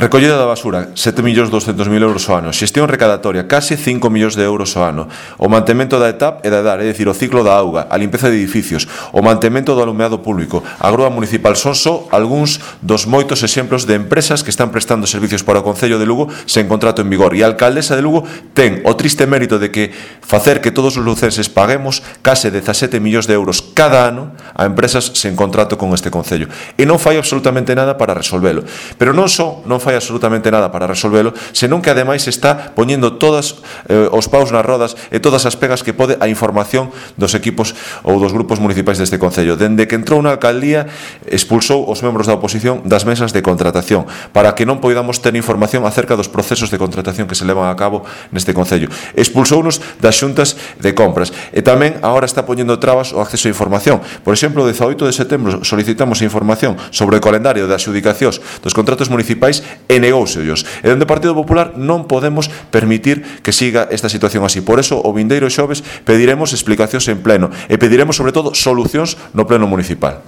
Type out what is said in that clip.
Recollida da basura, 7.200.000 euros ao ano. Xestión recadatoria, case 5 millóns de euros ao ano. O mantemento da ETAP e da EDAR, é dicir, o ciclo da auga, a limpeza de edificios, o mantemento do alumeado público, a grúa municipal, son só algúns dos moitos exemplos de empresas que están prestando servicios para o Concello de Lugo sen contrato en vigor. E a alcaldesa de Lugo ten o triste mérito de que facer que todos os lucenses paguemos case 17 millóns de euros cada ano a empresas sen contrato con este Concello. E non fai absolutamente nada para resolvelo. Pero non só non fai absolutamente nada para resolvelo, senón que ademais está poñendo todos os paus nas rodas e todas as pegas que pode a información dos equipos ou dos grupos municipais deste Concello. Dende que entrou na alcaldía, expulsou os membros da oposición das mesas de contratación para que non poidamos ter información acerca dos procesos de contratación que se levan a cabo neste Concello. Expulsounos das xuntas de compras e tamén agora está poñendo trabas o acceso a información. Por exemplo, o 18 de setembro solicitamos información sobre o calendario de adxudicacións dos contratos municipais e negóuseos. E dende o Partido Popular non podemos permitir que siga esta situación así. Por eso, o vindeiro xoves pediremos explicacións en pleno e pediremos, sobre todo, solucións no pleno municipal.